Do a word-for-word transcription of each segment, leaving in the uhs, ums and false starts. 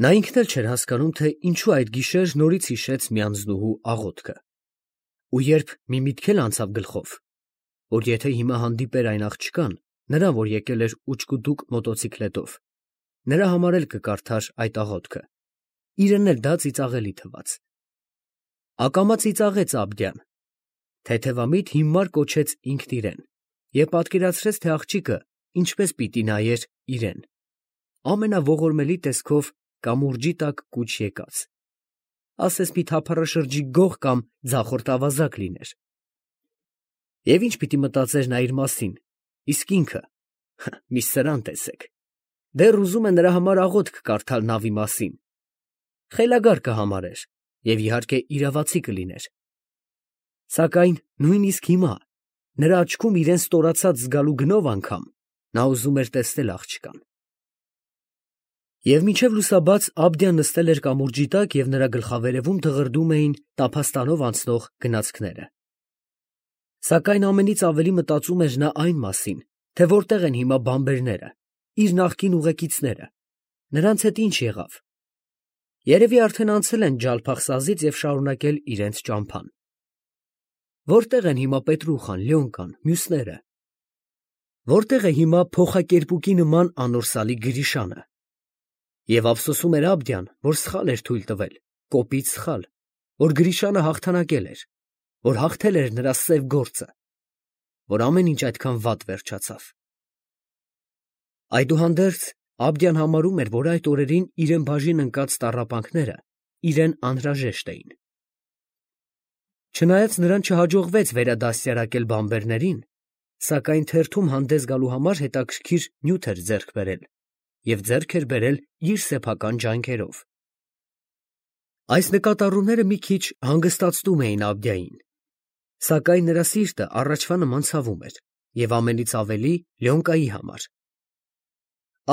Նա ինքն էլ չէր հասկանում, թե ինչու այդ գիշեր նորից հիշեց մի անձնուհու աղոթքը, ու երբ մի միտք էլ անցավ գլխով, որ եթե հիմա հանդիպեր այն աղջկան, նրան, որ եկել էր ուչկուդուկ մոտոցիկլետով, նրա համար էլ կկարդար այդ աղոթքը, իրեն էլ դա ծիծաղելի թվաց։ Ակամա ծիծաղեց Աբդյան, թեթևամիտ հիմար կոչեց ինքն իրեն և պատկերացրեց, թե աղջիկը ինչպես պիտի նայեր իրեն, ամենաողորմելի տեսքով կամուրջի տակ կուչ եկած, ասես մի թափառաշրջիկ գող կամ ձախորդ ավազակ լիներ։ Եվ ինչ պիտի մտածեր նա իր մասին, իսկ ինքը, մի սրան տեսեք, դեռ ուզում է նրա համար աղոթք կարդալ նավի մասին, խելագար կհամարեր և իհարկե իրավացի կլիներ, սակայն նույնիսկ հիմա, նրա աչքում իրեն ստորացած զգալու գնով անգամ, նա ուզում էր տեսնել աղջկան։ Եվ մինչև լուսաբաց Աբդյան նստել էր կամուրջի տակ և նրա գլխավերևում դղրդում էին տափաստանով անցնող գնացքները։ Սակայն ամենից ավելի մտածում էր նա այն մասին, թե որտեղ են հիմա բանբերները, իր նախկին ուղեկիցները, նրանց հետ ինչ եղավ։ Երևի արդեն անցել են Ջալփախսազից և շարունակել իրենց ճամփան։ Որտեղ են հիմա Պետրուխան, Լյոնկան, մյուսները։ Որտեղ է հիմա փոխակերպուկի նման անորսալի Գրիշանը։ Եվ ափսոսում էր Աբդյան, որ սխալ էր թույլ տվել, կոպիտ սխալ, որ Գրիշանը հաղթանակել էր, որ հաղթել էր նրա սև գործը, որ ամեն ինչ այդքան վատ վերջացավ։ Այդուհանդերձ Աբդյան համարում էր, որ այդ օրերին իրեն բաժին ընկած տառապանքները իրեն անհրաժեշտ էին։ Չնայած նրան չհաջողվեց վերադաստիարակել բանբերներին, սակայն թերթում հանդես գալու համար հետաքրքիր նյութ էր ձեռք բերել և ձեռք էր բերել իր սեփական ջանքերով։ Այս նկատառումները մի քիչ հանգստացնում էին Աբդյային, սակայն նրա սիրտը առաջվա նման ցավում էր և ամենից ավելի Լյոնկայի համար։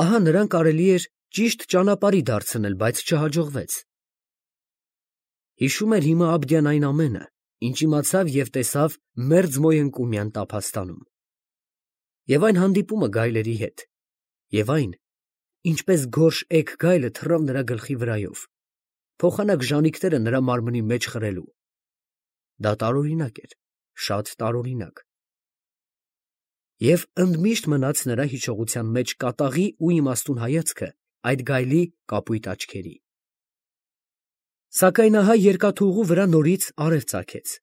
Ահա նրան կարելի էր ճիշտ ճանապարհի դարձնել, բայց չհաջողվեց։ Հիշում էր հիմա Աբդյան այն ամենը, ինչ իմացավ և տեսավ Մերձմոյընկումյան տափաստանում, և այն հանդիպումը գայլերի հետ, և այն, ինչպես գորշ էգ գայլը թռավ նրա գլխի վրայով, փոխանակ ժանիքները նրա մարմնի մեջ խրելու։ Դա տարօրինակ էր, շատ տարօրինակ։ Եվ ընդմիշտ մնաց նրա հիշողության մեջ կատաղի ու իմաստուն հայացքը այդ գայլի կապույտ աչքերի։ Սակայն ահա երկաթուղու վրա նորից արև ծագեց,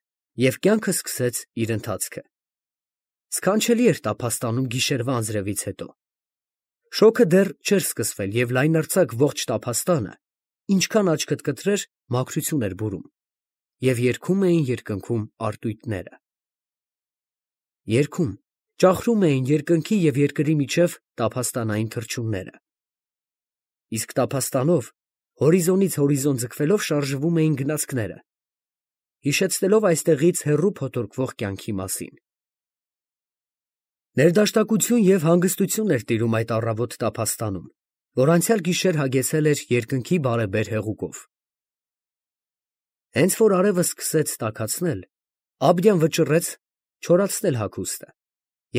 և կյանքը սկսեց իր ընթացքը։ Սքանչելի էր տափաստանում գիշերվա անձրևից հետո։ Շոգը դեռ չէր սկսվել, և լայնարձակ ողջ տափաստանը, ինչքան աչքդ կտրեր, մաքրություն էր բուրում, և երգում էին երկնքում արտույտները։ Երգում, ճախրում էին երկնքի և երկրի միջև տափաստանային թռչունները։ Իսկ տափաստանով, հորիզոնից հորիզոն ձգվելով շարժվում էին գնացքները, հիշեցնելով այստեղից հեռու փոթորկվող կյանքի մասին։ Ներդաշնակություն և հանգստություն էր տիրում այդ առավոտ տափաստանում, որ անցյալ գիշեր հագեցել էր երկնքի բարեբեր հեղուկով։ Հենց որ արևը սկսեց տաքացնել, Աբդյան վճռեց չորացնել հագուստը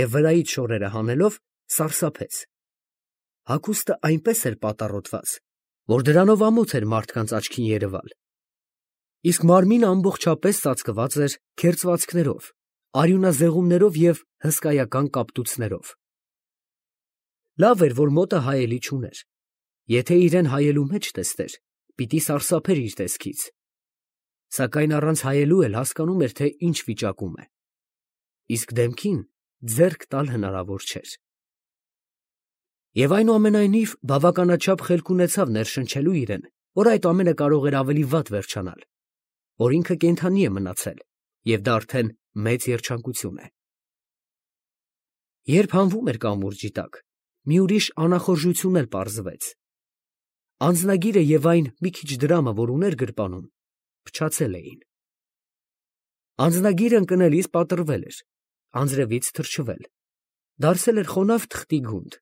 և վրայից շորերը հանելով սարսափեց։ Հագուստը այնպես էր պատառոտված, որ դրանով ամոթ էր մարդկանց աչքին երևալ, իսկ մարմինը ամբողջապես ծածկված էր քերծվածքներով, արյունազեղումներով և հսկայական կապտուցներով։ Լավ էր, որ մոտը հայելի չուներ, եթե իրեն հայելու մեջ տեսներ, պիտի սարսափեր իր տեսքից, սակայն առանց հայելու էլ հասկանում էր, թե ինչ վիճակում է, իսկ դեմքին ձեռք տալ հնարավոր չէր։ Եվ այնուամենայնիվ բավականաչափ խելք ունեցավ ներշնչելու իրեն, որ այդ ամենը կարող էր ավելի վատ վերջանալ, որ ինքը կենդանի է մնացել, և դա արդեն մեծ երջանկություն է։ Երբ հանվում էր կամուրջի տակ, մի ուրիշ անախորժություն էլ պարզվեց։ Անձնագիրը և այն մի քիչ դրամը, որ ուներ գրպանում, փչացել էին։ Անձնագիրը ընկնելիս պատռվել էր, անձրևից թրջվել, դարձել էր խոնավ թղթի գունդ,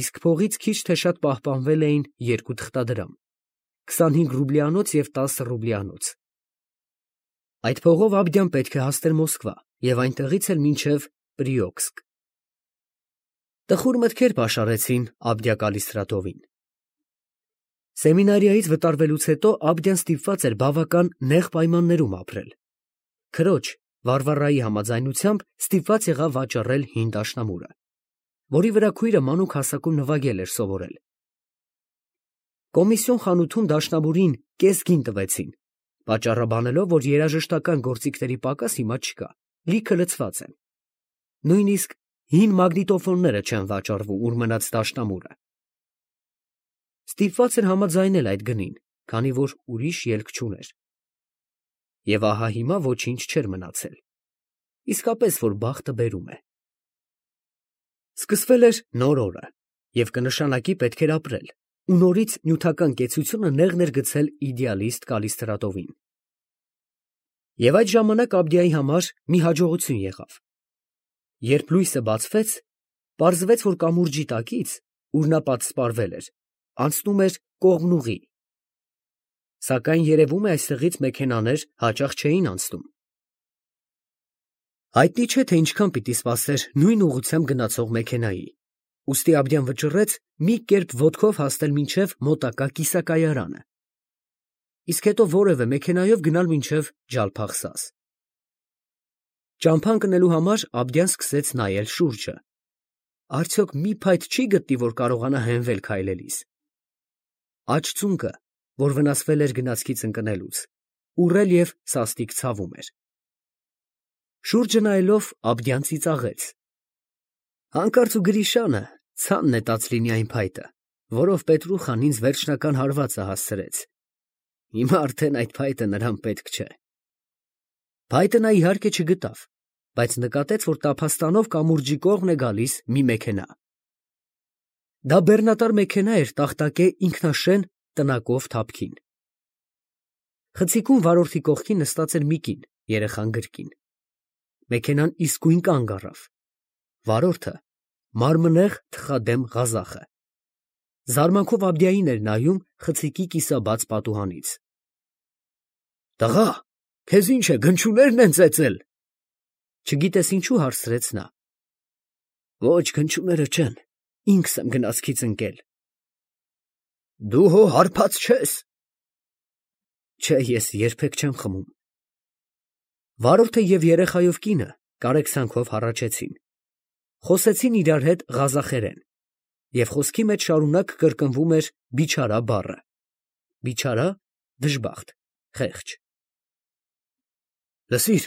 իսկ փողից քիչ թե շատ պահպանվել էին երկու թղթադրամ, քսանհինգ ռուբլյանոց և տասը ռուբլյանոց։ Այդ փողով Աբդյան պետք է հասներ Մոսկվա և այնտեղից էլ մինչև Պրիոքսկ։ Տխուր մտքեր պաշարեցին Աբդյա Կալիստրատովին։ Սեմինարիայից վտարվելուց հետո Աբդյան ստիպված էր բավական նեղ պայմաններում ապրել։ Քրոջ Վարվարայի համաձայնությամբ ստիպված եղավ վաճառել հին դաշնամուրը, որի վրա քույրը մանուկ հասակում նվագել էր սովորել։ Կոմիսիոն խանութում դաշնամուրին կես գին տվեցին, պատճառաբանելով, որ երաժշտական գործիքների պակաս հիմա չկա, լիքը լցված են։ Նույնիսկ հին մագնիտոֆոնները չեն վաճառվում, ուր մնաց դաշնամուրը։ Ստիպված էր համաձայնել այդ գնին, քանի որ ուրիշ ելք չուներ։ Եվ ահա հիմա ոչինչ չէր մնացել։ Իսկապես, որ բախտը բերում է։ Սկսվել էր նոր օրը, և կնշանակի պետք էր ապրել, ու նորից նյութական կեցությունը նեղն էր գցել իդեալիստ Կալիստրատովին։ Եվ այդ ժամանակ Աբդիայի համար մի հաջողություն եղավ։ Երբ լույսը բացվեց, պարզվեց, որ կամուրջի տակից, ուր նա պատսպարվել էր, անցնում էր կողմնուղի։ Սակայն երևում է այստեղից մեքենաներ հաճախ չէին անցնում։ Հայտնի չէ, թե ինչքան պիտի սպասեր նույն ուղղությամբ գնացող մեքենայի, ուստի Աբդյան վճռեց մի կերպ ոտքով հասնել մինչև մոտակա կիսակայարանը, իսկ հետո որևէ մեքենայով գնալ մինչև Ջալփախսաս։ Ճամփա ընկնելու համար Աբդյան սկսեց նայել շուրջը։ Արդյոք մի փայտ չի գտնի, որ կարողանա հենվել քայլելիս։ Աջ ծունկը, որ վնասվել էր գնացքից ընկնելուց, ուռել և սաստիկ ցավում էր։ Շուրջը նայելով Աբդյան ծիծաղեց. «Հանկարծ ու Գրիշանը ցան նետած լինի այն փայտը, որով Պետրուխան ինձ վերջնական հարվածը հասցրեց։ Հիմա արդեն այդ փայտը նրան պետք չէ»։ Փայտը նա իհարկե չգտավ, բայց նկատեց, որ տափաստանով կամուրջի կողմն է գալիս մի մեքենա։ Դա բեռնատար մեքենա էր տախտակե ինքնաշեն տնակով թափքին։ Խցիկում վարորդի կողքին նստած էր մի կին, երեխան գրկին։ Մեքենան իսկույն կանգ առավ։ Վարորդը մարմնեղ թխադեմ Ղազախը զարմանքով Աբդիային էր նայում խցիկի կիսաբաց պատուհանից։ «Տղա, քեզ ինչ է, գնչուներն են ծեծել»։ Չգիտես ինչու հարցրեց նա։ «Ոչ, գնչուները չեն, ինքս եմ գնացքից ընկել»։ «Դու հո հարբած չես»։ «Չէ, ես երբեք չեմ խմում»։ Վարորդը և երեխայով կինը կարեկցանքով հառաչեցին։ Խոսեցին իրար հետ ղազախերեն, և խոսքի մեջ շարունակ կրկնվում էր բիչարա բառը։ Բիչարա, դժբախտ, խեղճ։ «Լսիր,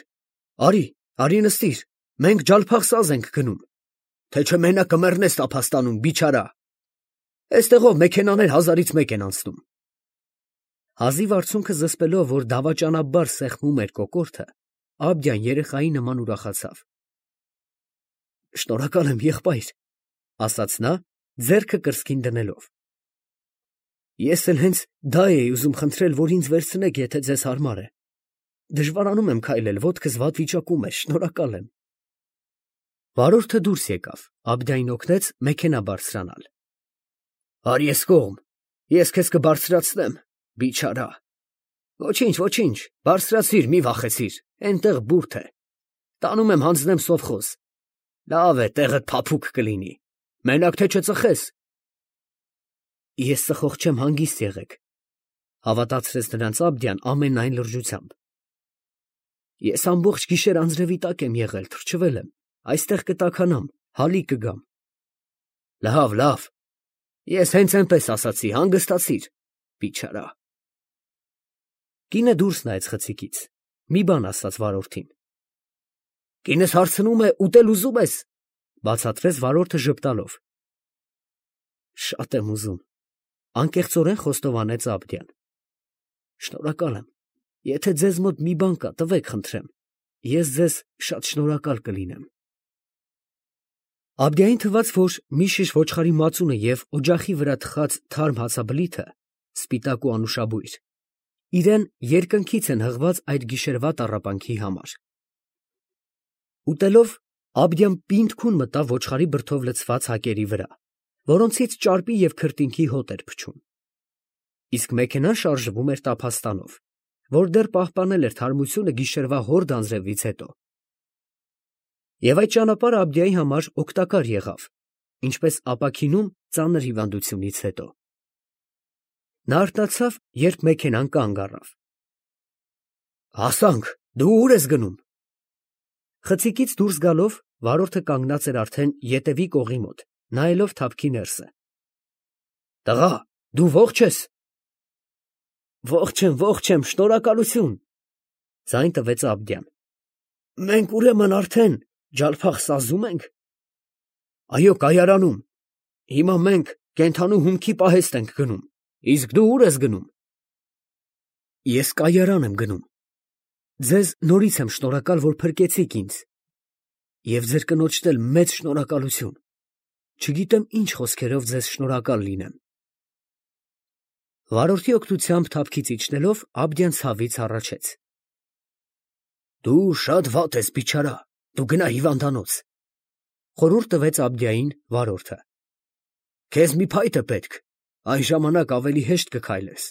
արի, արի նստիր, մենք Ջալփախսազ ենք գնում, թե չէ մենակ կմեռնես տափաստանում, բիչարա։ Էստեղով մեքենաներ հազարից մեկ են անցնում»։ Հազիվ արցունքը զսպելով, որ դավաճանաբար սեղմում էր կոկորդը, Աբդյան երեխայի նման ուրախացավ։ «Շնորհակալ եմ, եղբայր», ասաց նա, ձեռքը կրծքին դնելով։ «Ես էլ հենց դա էի ուզում խնդրել, որ ինձ վերցնեք, եթե ձեզ հարմար է։ Դժվարանում եմ քայլել, ոտքս վատ վիճակում է, շնորհակալ եմ»։ Վարորդը դուրս եկավ, Աբդյանին օգնեց մեքենա բարձրանալ։ «Արի էս կողմ, ես քեզ կբարձրացնեմ, բիչարա»։ «Ոչինչ, ոչինչ, բարձրացիր, մի վախեցիր, էնտեղ բուրդ է։ Տանում եմ հանձնեմ սովխոզ։ Լավ է, տեղդ փափուկ կլինի, մենակ թե չծխես»։ «Ես ծխող չեմ, հանգիստ եղեք», հավատացրեց նրանց Աբդյան ամենայն լրջությամբ։ «Ես ամբողջ գիշեր անձրևի տակ եմ եղել, թրջվել եմ, այստեղ կտաքանամ, հալի կգամ»։ «Լավ, լավ, ես հենց էնպես ասացի, հանգստացիր, բիչարա»։ Կինը դուրս նայեց խցիկից, մի բան ասաց վարորդին։ «Կինս հարցնում է, ուտել ուզում ես», բացատրեց վարորդը ժպտալով։ «Շատ եմ ուզում», անկեղծորեն խոստովանեց Աբդյան։ «Շնորհակալ եմ, եթե ձեզ մոտ մի բան կա, տվեք խնդրեմ, ես ձեզ շատ շնորհակալ կլինեմ»։ Աբդյային թվաց, որ մի շիշ ոչխարի մածունը և օջախի վրա թխած թարմ հացաբլիթը, սպիտակ ու անուշաբույր, իրան երկնքից են հղված այդ գիշերվա տառապանքի համար։ Ուտելով, Աբդյան պինդ քուն մտավ ոչխարի բրդով լցված հակերի վրա, որոնցից ճարպի և քրտինքի հոտ էր փչում։ Իսկ մեքենան շարժվում էր տափաստանով, որ դեռ պահպանել էր թարմությունը գիշերվա հորդ անձրևից հետո։ Եվ այդ ճանապարհը Աբդյայի համար օգտակար եղավ, ինչպես ապաքինում ծանր հիվանդությունից հետո։ Նա արթնացավ, երբ մեքենան կանգ առավ։ Հասանք, դու ուր ես գնում։ Խցիկից դուրս գալով վարորդը կանգնած էր արդեն ետևի կողի մոտ, նայելով թափքի ներսը։ Տղա, դու ողջ ես։ Ողջ եմ, ողջ եմ, շնորհակալություն, ձայն տվեց Աբդյան։ Մենք ուրեմն արդեն Ջալփախ-Սազում ենք։ Այո, կայարանում։ Հիմա մենք կենդանու հումքի պահեստ ենք գնում, իսկ դու ուր ես գնում։ Ես կայարան եմ գնում։ Ձեզ նորից եմ շնորհակալ, որ փրկեցիք ինձ։ Եվ ձեր կնոջդ էլ մեծ շնորհակալություն։ Չգիտեմ ինչ խոսքերով ձեզ շնորհակալ լինեմ։ Վարորդի օգնությամբ թափքից իջնելով Աբդյան ցավից հառաչեց. Դու շատ վատ ես, բիչարա, դու գնա հիվանդանոց։ Խորհուրդ տվեց Աբդյային վարորդը։ Քեզ մի փայտ է պետք, այն ժամանակ ավելի հեշտ կքայլես։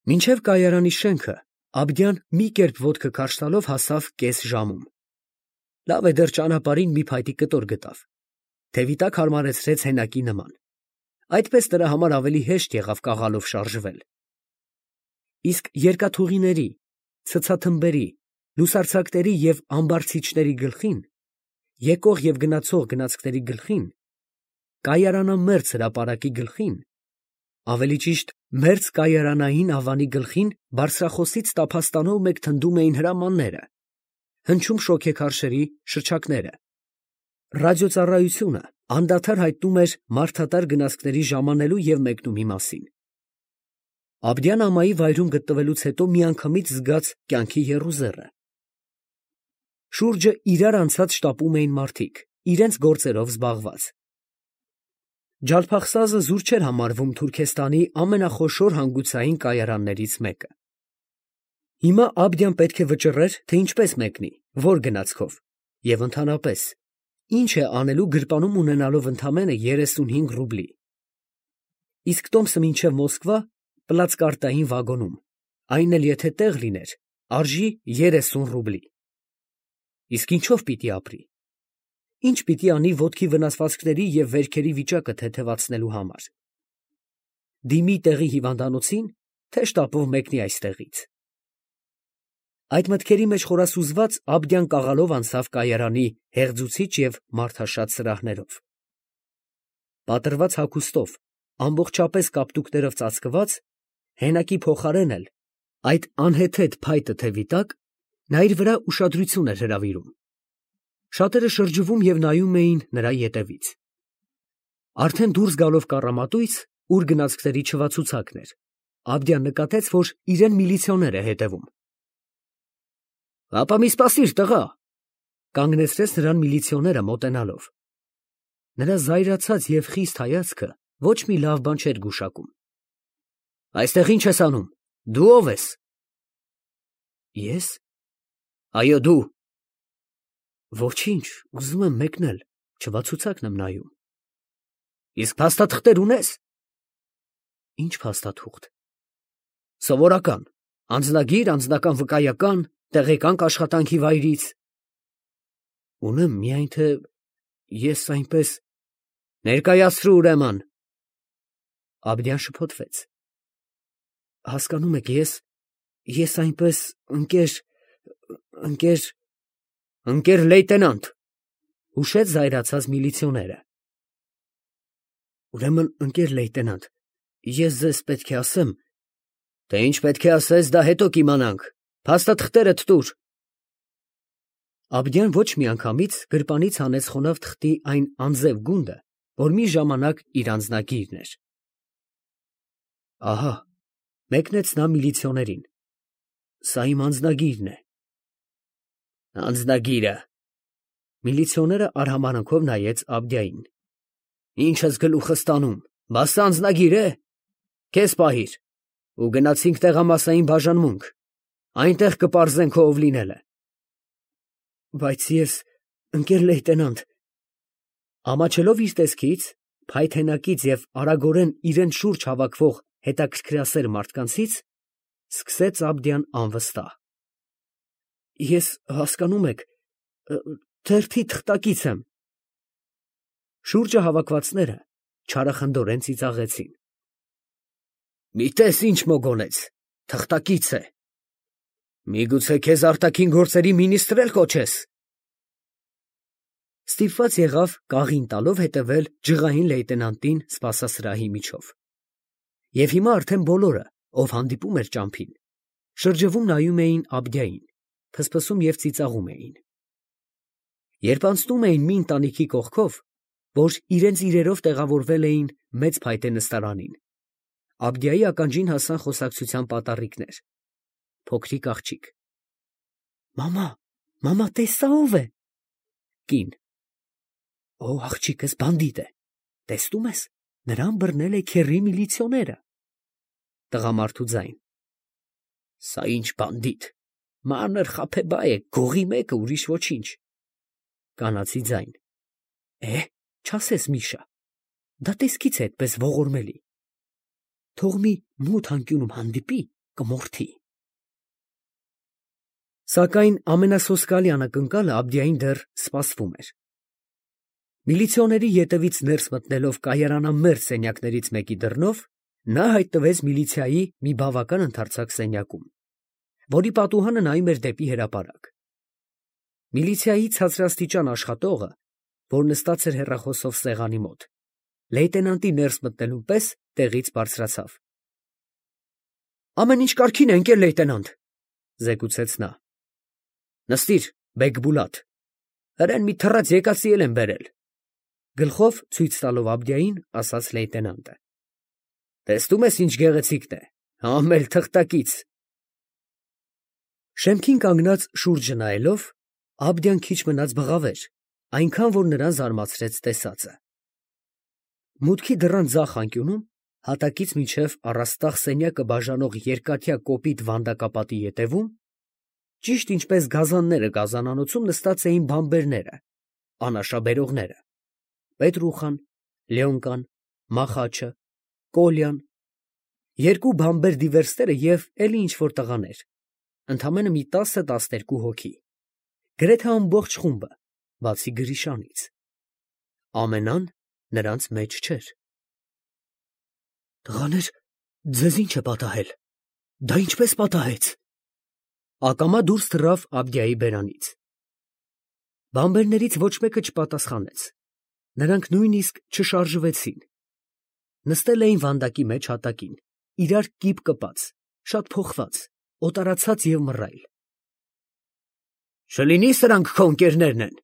Մինչև կայարանի շենքը Աբդյան մի կերպ ոտքը քարշ տալով հասավ կես ժամում։ Լավ է դեռ ճանապարհին մի փայտի կտոր գտավ։ Թևի տակ հարմարեցրեց հենակի նման։ Այդպես նրա համար ավելի հեշտ եղավ կաղալով շարժվել։ Իսկ երկաթուղիների, ցցաթմբերի, լուսարձակների և ամբարձիչների գլխին, եկող և գնացող գնացքների գլխին, կայարանամերձ հրապարակի գլխին, ավելի ճիշտ մերձ կայարանային ավանի գլխին բարձրախոսից տափաստանով մեկ թնդում էին հրամանները, հնչում շոգեքարշերի շչակները։ Ռադիոծառայությունը անդադար հայտնում էր մարդատար գնացքների ժամանելու և մեկնումի մասին։ Աբդյան ամայի վայրում գտնվելուց հետո միանգամից զգաց կյանքի եռուզեռը։ Շուրջը իրար անցած շտապում էին մարդիկ, իրենց գործերով զբաղված։ Ջալփախսազը զուր չէր համարվում Թուրքեստանի ամենախոշոր հանգուցային կայարաններից մեկը։ Հիմա Աբդյան պետք է վճռեր, թե ինչպես մեկնի, որ գնացքով, և ընդհանրապես, ինչ է անելու գրպանում ունենալով ընդամենը երեսունհինգ ռուբլի։ Իսկ տոմսը մինչև Մոսկվա պլացկարտային վագոնում, այն էլ եթե տեղ լիներ, արժի երեսուն ռուբլի։ Իսկ ինչով պիտի ապրի։ Ինչ պիտի անի ոտքի վնասվածքների և վերքերի վիճակը թեթևացնելու համար։ Դիմի տեղի հիվանդանոցին, թե շտապով մեկնի այստեղից։ Այդ մտքերի մեջ խորասուզված Աբդյան կաղալով անցավ կայարանի հեղձուցիչ և մարդաշատ սրահներով։ Պատռված հագուստով, ամբողջապես կապտուկներով ծածկված, հենակի փոխարեն էլ, այդ անհեթեթ փայտը թևի տակ, նա իր վրա ուշադրություն էր հրավիրում։ Շատերը շրջվում և նայում էին նրա ետևից։ Արդեն դուրս գալով կառամատույց, ուր գնացքների չվացուցակն էր, Աբդյան նկատեց, որ իրեն միլիցիոներ է հետևում։ Ապա մի սպասիր, տղա, կանգնեցրեց նրան միլիցիոները մոտենալով։ Նրա զայրացած և խիստ հայացքը ոչ մի լավ բան չէր գուշակում։ Այստեղ ինչ ես անում, դու ո՞վ ես։ Ես։ Այո, դու։ Ոչինչ, ուզում եմ մեկնել, չվացուցակն եմ նայում։ Իսկ փաստաթղթեր ունես։ Ինչ փաստաթուղթ։ Սովորական, անձնագիր, անձնական վկայական, տեղեկանք աշխատանքի վայրից։ Ունեմ, միայն թե ես այնպես։ Ներկայացրու ուրեմն։ Աբդյան շփոթվեց։ Հասկանում եք, ես, ես այնպես ընկեր, ընկեր, ընկեր լեյտենանտ, հուշեց զայրացած միլիցիոները։ Ուրեմն, ընկեր լեյտենանտ, ես ձեզ պետք է ասեմ, թե ինչ պետք է ասես, դա հետո կիմանանք, փաստաթղթերդ տուր։ Աբդյան ոչ միանգամից գրպանից հանեց խոնավ թղթի այն անձև գունդը, որ մի ժամանակ իր անձնագիրն էր։ Ահա, մեկնեց նա միլիցիոներին, սա իմ անձնագիրն է։ Անձնագիրը։ Միլիցիոները արհամարհանքով նայեց Աբդյային։ Ինչ ես գլուխս տանում, բա սա անձնագիր է։ Քեզ պահիր, ու գնացինք տեղամասային բաժանմունք, այնտեղ կպարզենք ով լինելը։ Բայց ես, ընկեր լեյտենանտ, ամաչելով իր տեսքից, փայտ հենակից և արագորեն իրեն շուրջ հավաքվող հետաքրքրասեր մարդկանցից, սկսեց Աբդյան անվստահ։ Ես, հասկանում եք, թերթի թղթակից եմ։ Շուրջը հավաքվածները չարախնդորեն ծիծաղեցին։ Մի տես ինչ մոգոնեց, թղթակից է։ Միգուցե քեզ արտաքին գործերի մինիստր էլ կոչես։ Ստիպված եղավ կաղին տալով հետևել ջղային լեյտենանտին սպասասրահի միջով։ Եվ հիմա արդեն բոլորը, ով հանդիպում էր ճամփին, շրջվում նայում էին Աբդիային, փսփսում և ծիծաղում էին։ Երբ անցնում էին մի ընտանիքի կողքով, որ իրենց իրերով տեղավորվել էին մեծ փայտե նստարանին, Աբդիայի ականջին հասան խոսակցության պատառիկներ։ Փոքրիկ աղջիկ. Մամա, մամա, տես սա ով է։ Կին. Օ, աղջիկս բանդիտ է, տեսնում ես, նրան բռնել է քեռի միլիցիոները։ Տղամարդու ձայն. Սա ինչ բանդիտ, մանր խաբեբա է, գողի մեկը, ուրիշ ոչինչ։ Կանացի ձայն. Է, չասես Միշա, դա տեսքից է այդպես ողորմելի։ Թող մի մութ անկյունում հանդիպի, կմորթի։ Սակայն ամենասոսկալի անակնկալը Աբդիային դեռ սպասվում էր։ Միլիցիոների ետևից ներս մտնելով կայարանամերձ սենյակներից մեկի դռնով, նա հայտնվեց միլիցիայի մի բավական ընդարձակ սենյակում, որի պատուհանը նայում էր դեպի հրապարակ։ Միլիցիայի ցածրաստիճան աշխատողը, որ նստած էր հեռախոսով սեղանի մոտ, լեյտենանտի ներս մտնելուն պես տեղից բարձրացավ։ Ամեն ինչ կարգին է, ընկեր լեյտենանտ, զեկուցեց նա։ Նստիր, Բեգբուլատ, հրեն մի թռած եկացի էլ են բերել։ Գլխով ցույց տալով Աբդիային, ասաց լեյտենանտը։ Տեսնում ես ինչ գեղեցիկն է, համել թղթակից։ Շեմքին կանգնած շուրջը նայելով, Աբդիան քիչ մնաց բղավեր, այնքան որ նրան զարմացրեց տեսածը։ Մուտքի դռան ձախ անկյունում, հատակից մինչև առաստաղ սենյակը բաժանող երկաթյա կոպիտ վանդակապատի ետևում, ճիշտ ինչպես գազանները գազանանոցում նստած էին բամբերները, անաշաբերողները, Պետրուխան, Լեոնկան, Մախաչը, Կոլյան, երկու բամբեր դիվերսները և էլի ինչ-որ տղաներ, ընդամենը մի տասը֊տասներկու հոգի, գրեթե ամբողջ խումբը, բացի Գրիշանից։ Ամենան նրանց մեջ չէր։ Տղաներ, ձեզ ինչ է պատահել, դա ինչպես պատահեց։ Ակամա դուրս թռավ Աբդիայի բերանից։ Բամբերներից ոչ մեկը չպատասխանեց, նրանք նույնիսկ չշարժվեցին։ Նստել էին վանդակի մեջ հատակին, իրար կիպ կպած, շատ փոխված, օտարացած և մռայլ։ Չլինի սրանք քո ընկերներն են,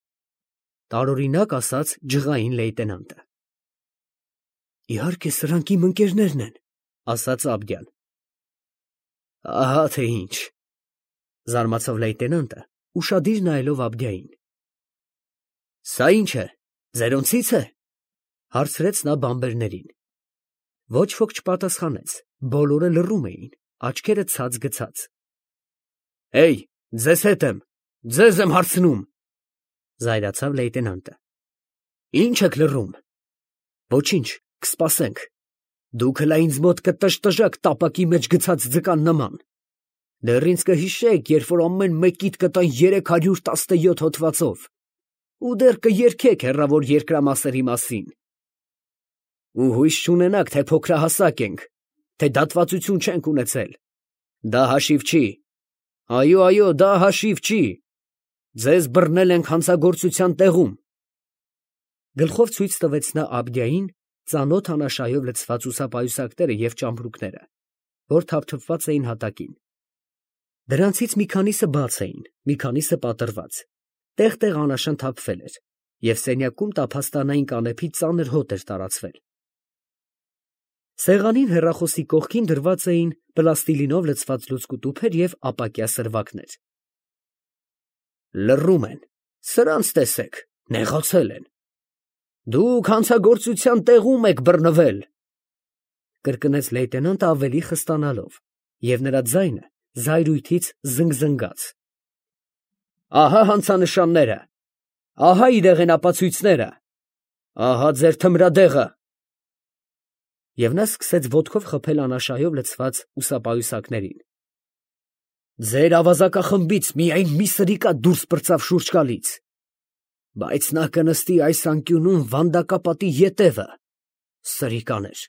տարօրինակ ասաց ջղային լեյտենանտը։ Իհարկե սրանք իմ ընկերներն են, ասաց Աբդյան։ Ահա թե ինչ, զարմացավ լեյտենանտը, ուշադիր նայելով Աբդյային։ Սա ինչ է, ձերոնցից է, հարցրեց նա բամբերներին։ Ոչ ոք չպատասխանեց, բոլորը լռում էին, աչքերը ցած գցած։ Հեյ, ձեզ հետ եմ, ձեզ եմ հարցնում, զայրացավ լեյտենանտը։ Ինչ եք լռում։ Ոչինչ, կսպասենք։ Դուք հլա ինձ մոտ կտժտժաք տապակի մեջ գցած ձկան նման։ Դեռ ինձ կհիշեք, երբ որ ամեն մեկիդ կտան երեք հարյուր տասնյոթ հոդվածով, ու դեռ կերգեք հեռավոր երկրամասերի մասին։ Ու հույս չունենաք, թե փոքրահասակ ենք, թե դատվածություն չենք ունեցել։ Դա հաշիվ չի։ Այո, այո, դա հաշիվ չի։ Ձեզ բռնել ենք հանցագործության տեղում։ Գլխով ցույց տվեց նա Աբդյային ծանոթ անաշայով լցված ուսապայուսակները և ճամպրուկները, որ թափթփված էին հատակին։ Դրանցից մի քանիսը բաց էին, մի քանիսը պատռված, տեղ-տեղ անաշան թափվել էր, և սենյակում տափաստանային կանեփի ծանր հոտ էր տարածվել։ Սեղանին հեռախոսի կողքին դրված էին պլաստիլինով լցված լուցկու տուփեր և ապակյա սրվակներ։ Լռում են, սրանց տեսեք, նեղացել են։ Դուք հանցագործության տեղում եք բռնվել, կրկնեց լեյտենանտը ավելի խստանալով, և նրա ձայնը զայրույթից զնգզնգաց։ Ահա հանցանշանները, ահա իրեղեն ապացույցները, ահա ձեր թմրադեղը։ Եվ նա սկսեց ոտքով խփել անաշայով լցված ուսապայուսակներին։ Ձեր ավազակախմբից միայն մի սրիկա դուրս պրծավ շուրջ գալից, բայց նա կնստի այս անկյունում վանդակապատի ետևը, սրիկաներ։